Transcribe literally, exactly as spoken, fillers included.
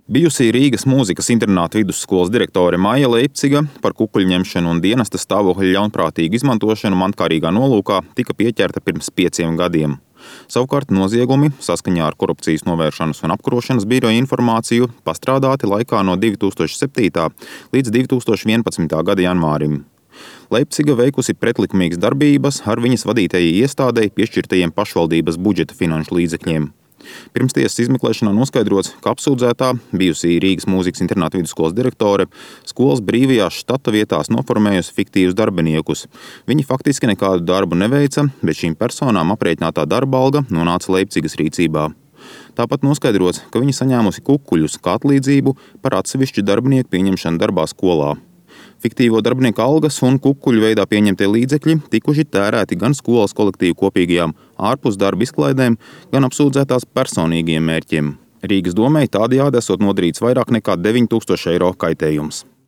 Bijusī Rīgas mūzikas internāta vidusskolas direktore Maija Leipciga par kukuļņemšanu un dienesta stāvokļa ļaunprātīgu izmantošanu mankārīgā nolūkā tika pieķerta pirms pieciem gadiem. Savukārt noziegumi saskaņā ar Korupcijas novēršanas un apkarošanas biroja informāciju pastrādāti laikā no divi tūkstoši septītā līdz divi tūkstoši vienpadsmitā gada janvārim. Leipciga veikusi pretlikumīgas darbības ar viņas vadītajai iestādei piešķirtajiem pašvaldības budžeta finanšu līdzekļiem. Pirms tiesas izmeklēšanā noskaidrots, ka apsūdzētā, bijusī Rīgas mūzikas internāta vidusskolas direktore, skolas brīvajās štata vietās noformējusi fiktīvus darbiniekus. Viņi faktiski nekādu darbu neveica, bet šīm personām aprēķinātā darba alga nonāca Leipcigas rīcībā. Tāpat noskaidrots, ka viņa saņēmusi kukuļus kā atlīdzību par atsevišķu darbinieku pieņemšanu darbā skolā. Fiktīvo darbinieku algas un kukuļu veidā pieņemtie līdzekļi tikuši tērēti gan skolas kolektīvu kopīgajām ārpus darba izklaidēm, gan apsūdzētās personīgiem mērķiem. Rīgas domei tādējādi esot nodarīts vairāk nekā deviņi tūkstoši eiro kaitējums.